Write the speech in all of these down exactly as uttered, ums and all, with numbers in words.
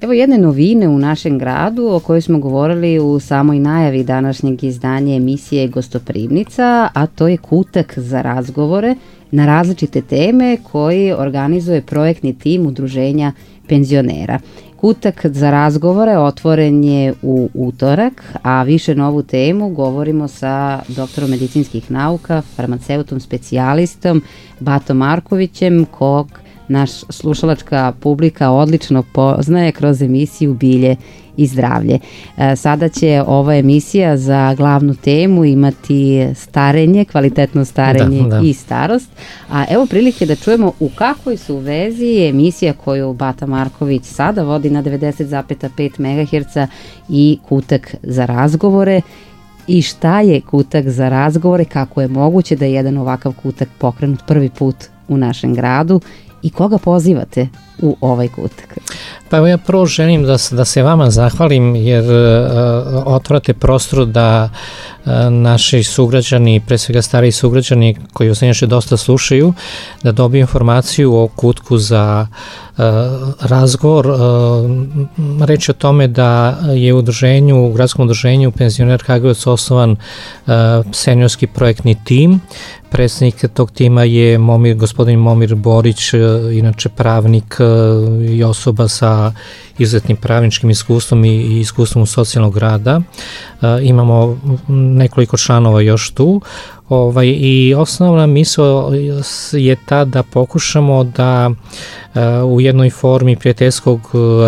Evo jedne novine u našem gradu o kojoj smo govorili u samoj najavi današnjeg izdanja emisije Gostoprimnica, a to je kutak za razgovore na različite teme koji organizuje projektni tim Udruženja penzionera. Kutak za razgovore otvoren je u utorak, a više na ovu temu govorimo sa doktorom medicinskih nauka, farmaceutom specijalistom Batom Markovićem, kog naš slušalačka publika odlično poznaje kroz emisiju Bilje i zdravlje. Sada će ova emisija za glavnu temu imati starenje, kvalitetno starenje da, da. i starost. A evo prilike da čujemo u kakvoj su vezi emisija koju Bata Marković sada vodi na devedeset zarez pet megaherca i kutak za razgovore. I šta je kutak za razgovore, kako je moguće da je jedan ovakav kutak pokrenut prvi put u našem gradu i koga pozivate u ovaj kutak? Pa evo ja prvo želim da, da se vama zahvalim jer uh, otvarate prostor da uh, naši sugrađani, pre svega stariji sugrađani koji vas inače dosta slušaju, da dobiju informaciju o kutku za uh, razgovor. Uh, reč je o tome da je u udruženju, u gradskom udruženju Penzioner Kragujevac osnovan uh, seniorski projektni tim. Predsednik tog tima je Momir, gospodin Momir Borić, inače pravnik i osoba sa izuzetnim pravničkim iskustvom i iskustvom u socijalnog rada. Imamo nekoliko članova još tu. Ovaj, i osnovna misao je ta da pokušamo da u jednoj formi prijateljskog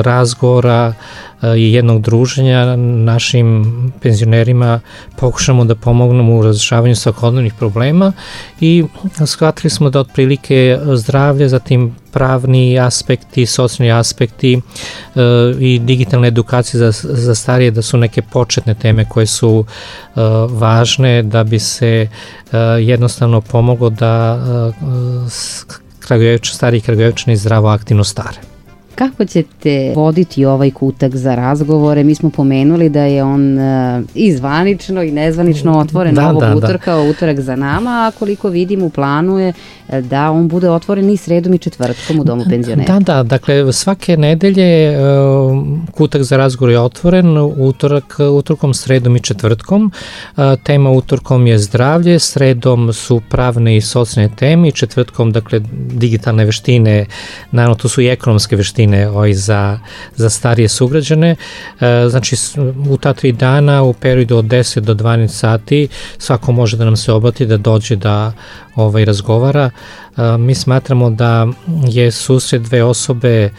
razgovora i jednog druženja našim penzionerima pokušamo da pomognemo u razrešavanju svakodnevnih problema i shvatili smo da otprilike zdravlje, zatim pravni aspekti, socijalni aspekti e, i digitalna edukacija za, za starije da su neke početne teme koje su e, važne da bi se e, jednostavno pomoglo da e, stariji Kragujevčani zdravo aktivno stare. Kako ćete voditi ovaj kutak za razgovore? Mi smo pomenuli da je on uh, i zvanično i nezvanično otvoren da, ovog da, utorka, da. utorak za nama, a koliko vidim u planu je da on bude otvoren i sredom i četvrtkom u Domu penzionera. Da, da, dakle svake nedelje uh, kutak za razgovor je otvoren, utorak, utorkom, sredom i četvrtkom. Uh, tema utorkom je zdravlje, sredom su pravne i socijalne teme i četvrtkom, dakle, digitalne veštine, naravno to su i ekonomske veštine Ovaj, za, za starije sugrađane. E, znači u ta tri dana u periodu od deset do dvanaest sati svako može da nam se obrati, da dođe da ovaj, razgovara. E, mi smatramo da je susret dve osobe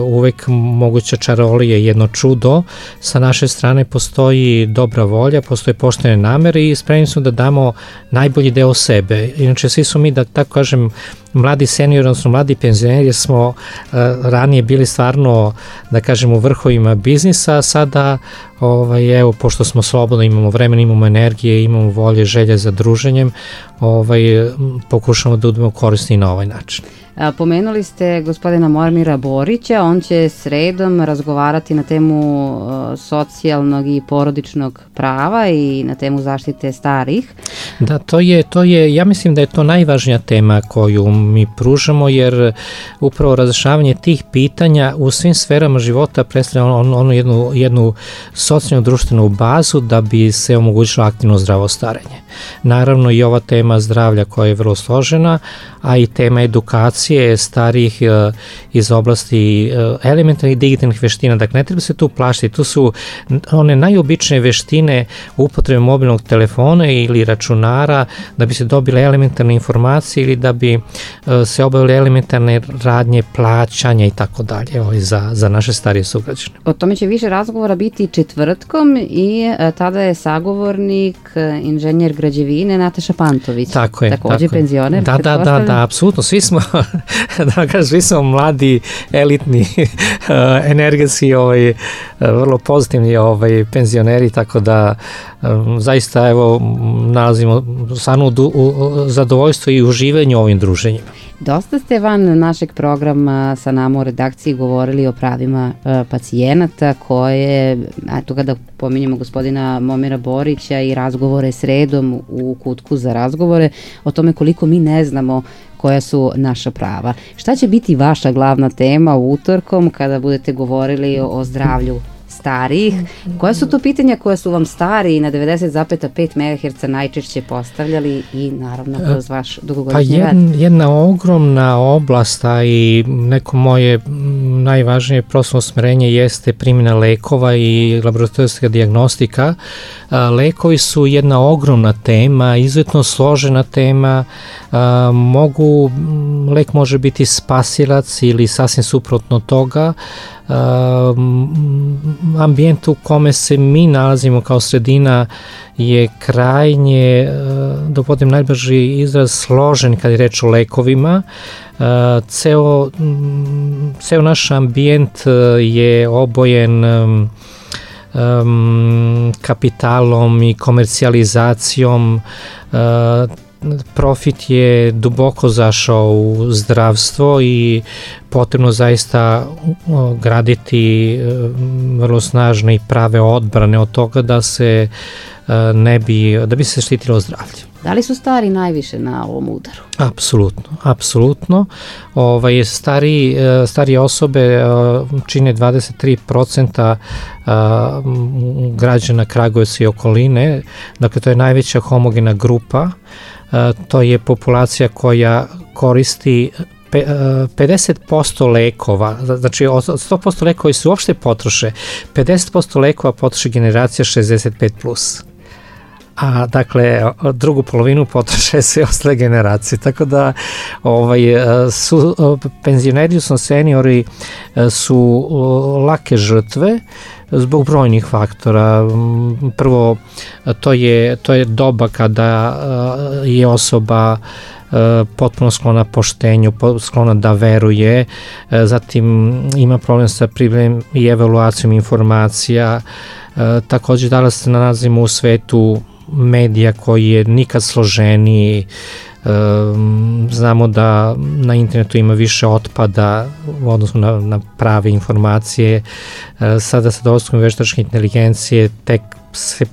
uvek moguća čarolija, jedno čudo. Sa naše strane postoji dobra volja, postoje poštene namere i spremni smo da damo najbolji deo sebe. Inače, svi su mi, da tako kažem, mladi seniori, odnosno mladi penzioneri smo uh, ranije bili stvarno, da kažem, u vrhovima biznisa, a sada, ovaj, evo, pošto smo slobodno, imamo vremena, imamo energije, imamo volje, želje za druženjem, ovaj, pokušamo da budemo korisni na ovaj način. A, pomenuli ste gospodina Momira Borića, on će sredom razgovarati na temu uh, socijalnog i porodičnog prava i na temu zaštite starih. Da, to je, to je, ja mislim da je to najvažnija tema koju mi pružamo, jer upravo razrešavanje tih pitanja u svim sferama života predstavlja ono, ono jednu, jednu socijalnu društvenu bazu da bi se omogućilo aktivno zdravo starenje. Naravno i ova tema zdravlja koja je vrlo složena, a i tema edukacije starijih uh, iz oblasti uh, elementarnih digitalnih veština. Dakle, ne treba se tu plašiti, tu su one najobičnije veštine upotrebe mobilnog telefona ili računara da bi se dobile elementarne informacije ili da bi uh, se obavile elementarne radnje, plaćanja i tako dalje za, za naše starije sugrađane. O tome će više razgovora biti četvrtkom i uh, tada je sagovornik uh, inženjer građevine Nataša Pantović. Tako je. Takođe tako penzioner. Da, da, da, da, apsolutno. Svi smo, da kažem, svi smo mladi, elitni, energetski, ovaj, vrlo pozitivni ovaj, penzioneri, tako da zaista, evo, nalazimo stvarno u zadovoljstvo i uživanje ovim druženjima. Dosta ste van našeg programa sa nama u redakciji govorili o pravima e, pacijenata koje, eto kada pominjemo gospodina Momira Borića i razgovore sredom u kutku za razgovore, o tome koliko mi ne znamo koja su naša prava. Šta će biti vaša glavna tema utorkom kada budete govorili o, o zdravlju starijih? Koja su to pitanja koja su vam stari na devedeset zarez pet megaherca najčešće postavljali i naravno kroz vaš dugogodišnji pa rad? Jedna, jedna ogromna oblast, a i neko moje najvažnije profesionalno usmerenje jeste primjena lekova i laboratorijska dijagnostika. Lekovi su jedna ogromna tema, izuzetno složena tema. Mogu, lek može biti spasilac ili sasvim suprotno toga. Uh, ambijent u kome se mi nalazimo kao sredina je krajnje, uh, da upotrebim najbrži izraz, složen kad je reč o lekovima. Uh, ceo, um, ceo naš ambijent uh, je obojen um, um, kapitalom i komercijalizacijom. uh, Profit je duboko zašao u zdravstvo i potrebno zaista graditi vrlo snažne i prave odbrane od toga da se ne bi, da bi se štitilo zdravlje. Da li su stari najviše na ovom udaru? Apsolutno, apsolutno. Ovaj, stari, starije osobe čine dvadeset tri procenta građana Kragujevca i okoline, dakle to je najveća homogena grupa. To je populacija koja koristi pedeset posto lekova, znači od sto posto lekova koji se uopšte potroše, pedeset posto lekova potroše generacija šezdeset pet plus. A dakle drugu polovinu potroše sve ostale generacije, tako da ovaj, su, penzioneri, odnosno seniori su lake žrtve zbog brojnih faktora. Prvo, to je, to je doba kada je osoba potpuno sklona poštenju, sklona da veruje, zatim ima problem sa pripremom i evaluacijom informacija. Takođe danas se nalazimo u svetu medija koji je nikad složeniji. Znamo da na internetu ima više otpada u odnosu na, na prave informacije. Sada sa dolaskom veštačke inteligencije tek se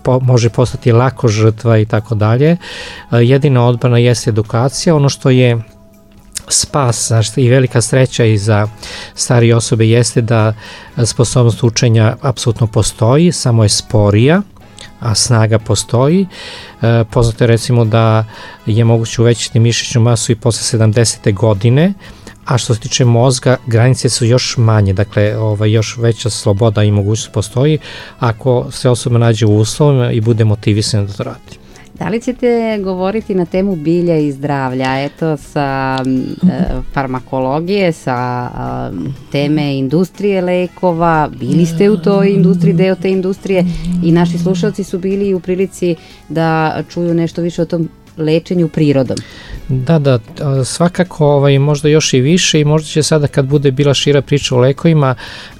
po, može postati lako žrtva i tako dalje. Jedina odbrana jeste edukacija. Ono što je spas, znači, i velika sreća i za starije osobe jeste da sposobnost učenja apsolutno postoji, samo je sporija, a snaga postoji. E, poznato je recimo da je moguće uvećati mišićnu masu i posle sedamdesete godine, a što se tiče mozga, granice su još manje, dakle ovaj, još veća sloboda i mogućnost postoji ako se osoba nađe u uslovima i bude motivisana da to radi. Da li ćete govoriti na temu bilja i zdravlja, eto sa e, farmakologije, sa e, teme industrije lekova, bili ste u toj industriji, deo te industrije i naši slušalci su bili u prilici da čuju nešto više o tom lečenju prirodom. Da, da, svakako ovaj, možda još i više i možda će sada kad bude bila šira priča o lekovima,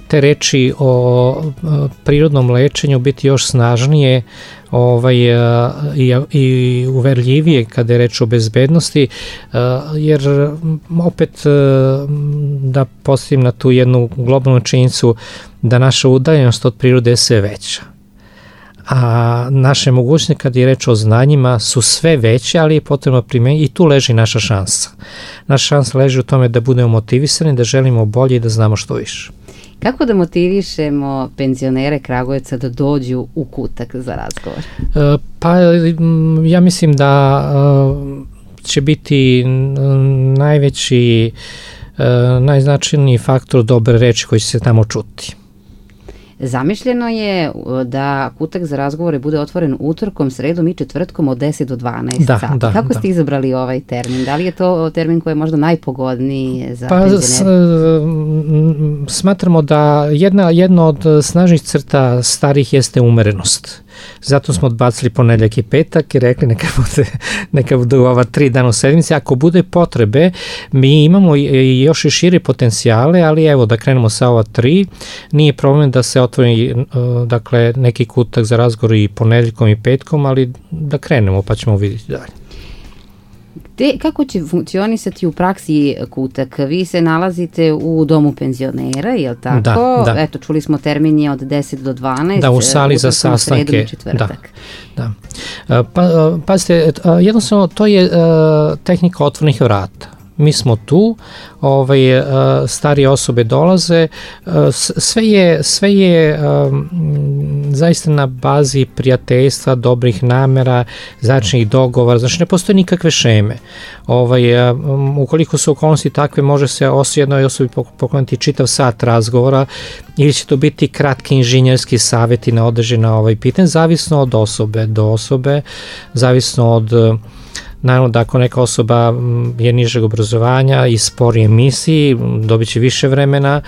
te reči o prirodnom lečenju biti još snažnije ovaj, i, i uverljivije kada je reč o bezbednosti, jer opet da postavim na tu jednu globalnu činjenicu da naša udaljenost od prirode je sve veća. A naše mogućnosti kad je reč o znanjima su sve veće, ali je potrebno primeniti i tu leži naša šansa. Naša šansa leži u tome da budemo motivisani, da želimo bolje i da znamo što više. Kako da motivišemo penzionere Kragujevca da dođu u kutak za razgovor? E, pa ja mislim da e, će biti najveći, e, najznačajniji faktor dobre reči koji će se tamo čuti. Zamišljeno je da kutak za razgovore bude otvoren utorkom, sredom i četvrtkom od deset do dvanaest da, sati. Da, Kako da. ste izabrali ovaj termin? Da li je to termin koji je možda najpogodniji za pa, penzionere? Smatramo da jedna, jedna od snažnih crta starih jeste umerenost. Zato smo odbacili ponedjeljak i petak i rekli neka bude, neka bude ova tri dana u sedmici. Ako bude potrebe, mi imamo i još i šire potencijale, ali evo da krenemo sa ova tri. Nije problem da se otvori dakle, neki kutak za razgovor i ponedjeljkom i petkom, ali da krenemo pa ćemo vidjeti dalje. Te, kako će funkcionisati u praksi kutak? Vi se nalazite u domu penzionera, je li tako? Da, da. Eto, čuli smo termin je od deset do dvanaest. Da, u sali za sastanke. Da, da. Pa, pazite, jednostavno to je tehnika otvornih vrata. Mi smo tu, ovaj, starije osobe dolaze, sve je, sve je um, zaista na bazi prijateljstva, dobrih namera, začnih dogovora, znači ne postoje nikakve šeme. Ovaj, um, ukoliko su okolnosti takve, može se os jednoj osobi pokloniti čitav sat razgovora ili će to biti kratki inženjerski savjeti na određena ovaj pitanje, zavisno od osobe do osobe, zavisno od naravno da ako neka osoba je nižeg obrazovanja i sporije misli, dobit će više vremena,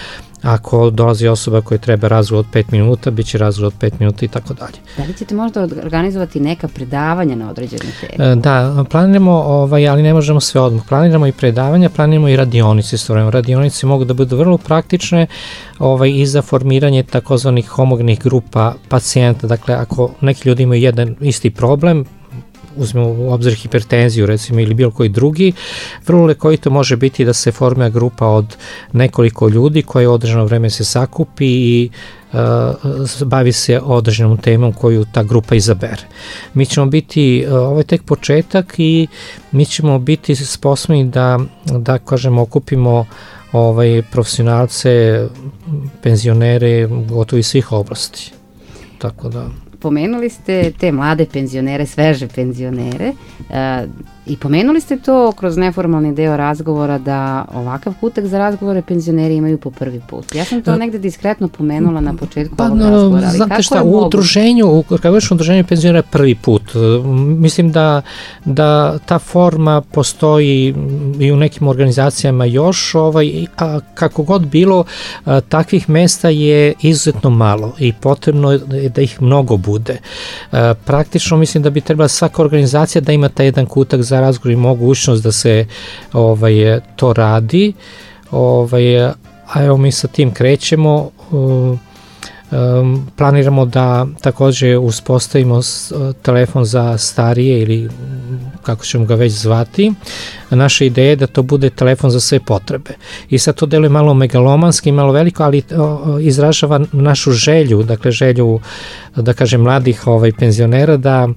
ako dolazi osoba koja treba razgovor od pet minuta, bit će razgovor od pet minuta i tako dalje. Da li ćete možda organizovati neka predavanja na određene teme? Da, planiramo, ovaj, ali ne možemo sve odmah. Planiramo i predavanja, planiramo i radionice. Radionice mogu da budu vrlo praktične ovaj, i za formiranje takozvanih homogenih grupa pacijenta. Dakle, ako neki ljudi imaju jedan isti problem, uzmemo u obzir hipertenziju recimo ili bilo koji drugi, vrlo lekovito može biti da se formira grupa od nekoliko ljudi koja u određeno vreme se sakupi i uh, bavi se određenom temom koju ta grupa izabere. Mi ćemo biti, uh, ovo je tek početak i mi ćemo biti sposobni da, da kažemo, okupimo ovaj, profesionalce, penzionere, gotovo iz svih oblasti. Tako da... Pomenuli ste te mlade penzionere, sveže penzionere e, i pomenuli ste to kroz neformalni deo razgovora da ovakav kutak za razgovore penzioneri imaju po prvi put. Ja sam to negde diskretno pomenula na početku pa, ovog razgovora. Ali znate kako šta, u udruženju, kako već u udruženju penzionera prvi put. Mislim da, da ta forma postoji i u nekim organizacijama još, ovaj, a kako god bilo, a, takvih mesta je izuzetno malo i potrebno je da ih mnogo bude. A, praktično mislim da bi trebala svaka organizacija da ima taj jedan kutak za razgovor i mogućnost da se ovaj, to radi. Ovaj, a evo mi sa tim krećemo. Um, um, planiramo da također uspostavimo s, telefon za starije ili kako ćemo ga već zvati. Naša ideja je da to bude telefon za sve potrebe. I sad to deluje malo megalomanski, malo veliko, ali o, izražava našu želju, dakle želju, da kažem, mladih ovaj, penzionera da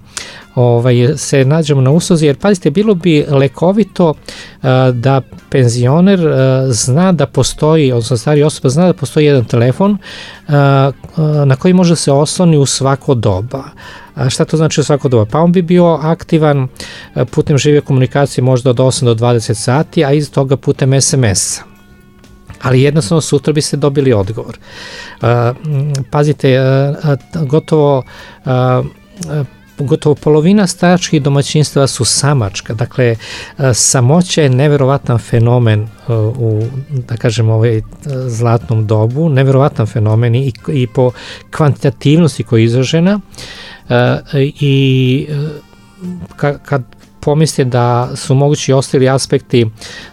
ovaj, se nađemo na usluzi, jer pazite, bilo bi lekovito a, da penzioner a, zna da postoji, odnosno starija osoba zna da postoji jedan telefon a, a, na koji može se osloni u svako doba. A šta to znači u svako doba? Pa on bi bio aktivan putem žive komunikacije možda od osam do dvadeset sati, a iz toga putem es em es-a. Ali jednostavno sutra bi se dobili odgovor. Uh, pazite, uh, gotovo uh, gotovo polovina staračkih domaćinstva su samačka, dakle samoća je neverovatan fenomen u, da kažem, ovaj zlatnom dobu, neverovatan fenomen i, i po kvantitativnosti koja je izražena i kad pomisli da su mogući ostali aspekti,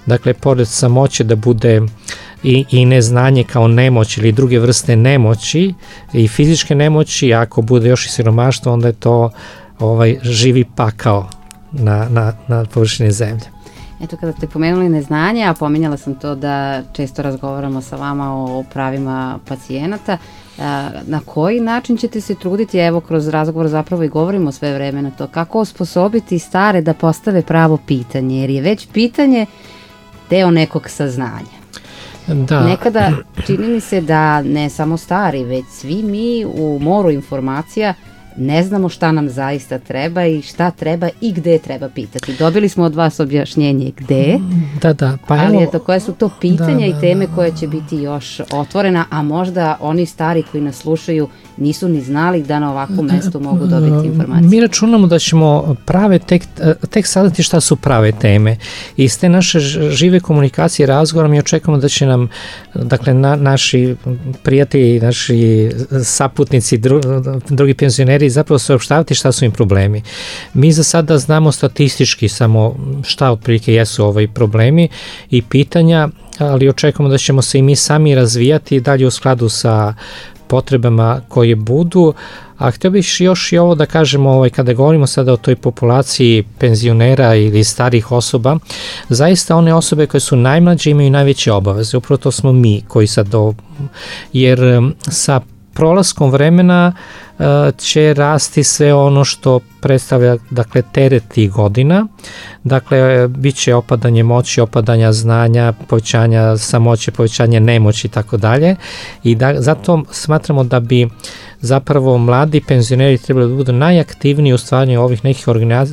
dakle pored samoće da bude i, i neznanje kao nemoć ili druge vrste nemoći i fizičke nemoći, ako bude još i siromaštvo, onda je to ovaj živi pakao na, na, na površini zemlje. Eto, kada ste pomenuli neznanje, a pominjala sam to da često razgovaramo sa vama o pravilima pacijenata, na koji način ćete se truditi, evo kroz razgovor zapravo i govorimo sve vreme na to, kako osposobiti stare da postave pravo pitanje, jer je već pitanje deo nekog saznanja. Da. Nekada čini mi se da ne samo stari, već svi mi u moru informacija ne znamo šta nam zaista treba i šta treba i gde treba pitati. Dobili smo od vas objašnjenje gde, da, da, pa ali evo, eto, koje su to pitanja da, da, i teme koje će biti još otvorena, a možda oni stari koji nas slušaju nisu ni znali da na ovakvom mestu mogu dobiti informacije. Mi računamo da ćemo prave tek, tek saznati šta su prave teme. I iz te naše žive komunikacije i razgovora mi očekujemo da će nam, dakle, na, naši prijatelji, naši saputnici, dru, drugi penzioneri zapravo saopštavati šta su im problemi. Mi za sada znamo statistički samo šta otprilike jesu ovaj problemi i pitanja, ali očekujemo da ćemo se i mi sami razvijati dalje u skladu sa potrebama koje budu, A htio bih još i ovo da kažemo, ovaj, kada govorimo sada o toj populaciji penzionera ili starih osoba, zaista one osobe koje su najmlađe imaju najveće obaveze, upravo to smo mi koji sad, do, jer sa prolaskom vremena uh, će rasti sve ono što predstavlja, dakle, teret tih godina, dakle, bit će opadanje moći, opadanja znanja, povećanja samoće, povećanje nemoći i tako dalje, i da, zato smatramo da bi zapravo mladi penzioneri trebali da budu najaktivniji u stvaranju ovih nekih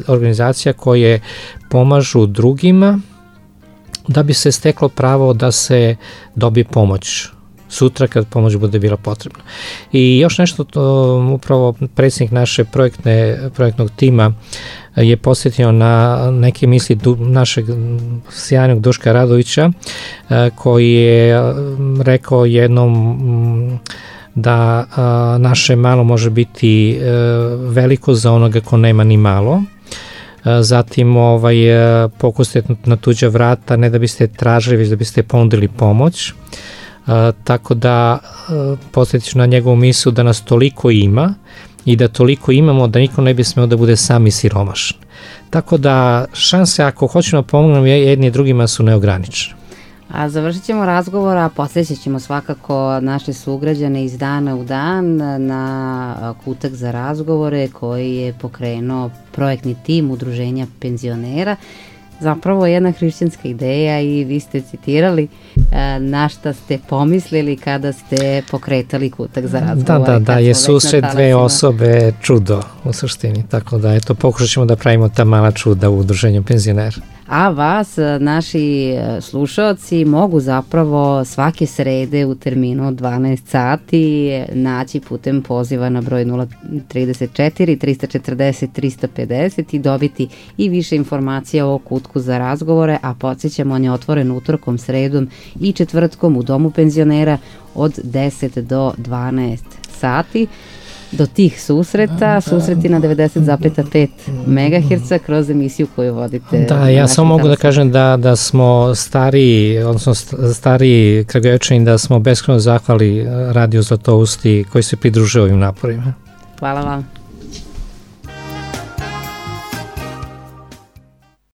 organizacija koje pomažu drugima da bi se steklo pravo da se dobije pomoć sutra kad pomoć bude bila potrebna. I još nešto, to, upravo predsjednik naše projektne, projektnog tima je posjetio na neke misli du, našeg sjajnog Duška Radovića, koji je rekao jednom da a, naše malo može biti a, veliko za onoga ko nema ni malo. A, zatim ovaj, pokusite na tuđa vrata, ne da biste tražili, već da biste ponudili pomoć. A, tako da posjetiš na njegovu mislu da nas toliko ima i da toliko imamo da niko ne bi smeo da bude sami siromašan. Tako da šanse ako hoćemo pomognemo jedni drugima su neograničene. A završit ćemo razgovor, a podsjećat ćemo svakako naše sugrađane iz dana u dan na kutak za razgovore koji je pokrenuo projektni tim Udruženja penzionera. Zapravo jedna hrišćanska ideja i vi ste citirali e, na šta ste pomislili kada ste pokretali kutak za razgovor. Da, da, da, je susret dve osobe čudo u suštini, tako da eto pokušat ćemo da pravimo ta mala čuda u Udruženju penzionera. A vas, naši slušaoci, mogu zapravo svake srede u terminu od dvanaest sati naći putem poziva na broj nula trideset četiri trista četrdeset trista pedeset i dobiti i više informacija o kutku za razgovore, a podsjećamo, on je otvoren utorkom, sredom i četvrtkom u Domu penzionera od deset do dvanaest sati. Do tih susreta, susreti na devedeset zarez pet megaherca kroz emisiju koju vodite. Da, ja samo mogu da kažem da, da smo stari, odnosno stari Kragujevčani, da smo beskrajno zahvali radiju Zlatousti koji se pridružuje ovim naporima. Hvala vam.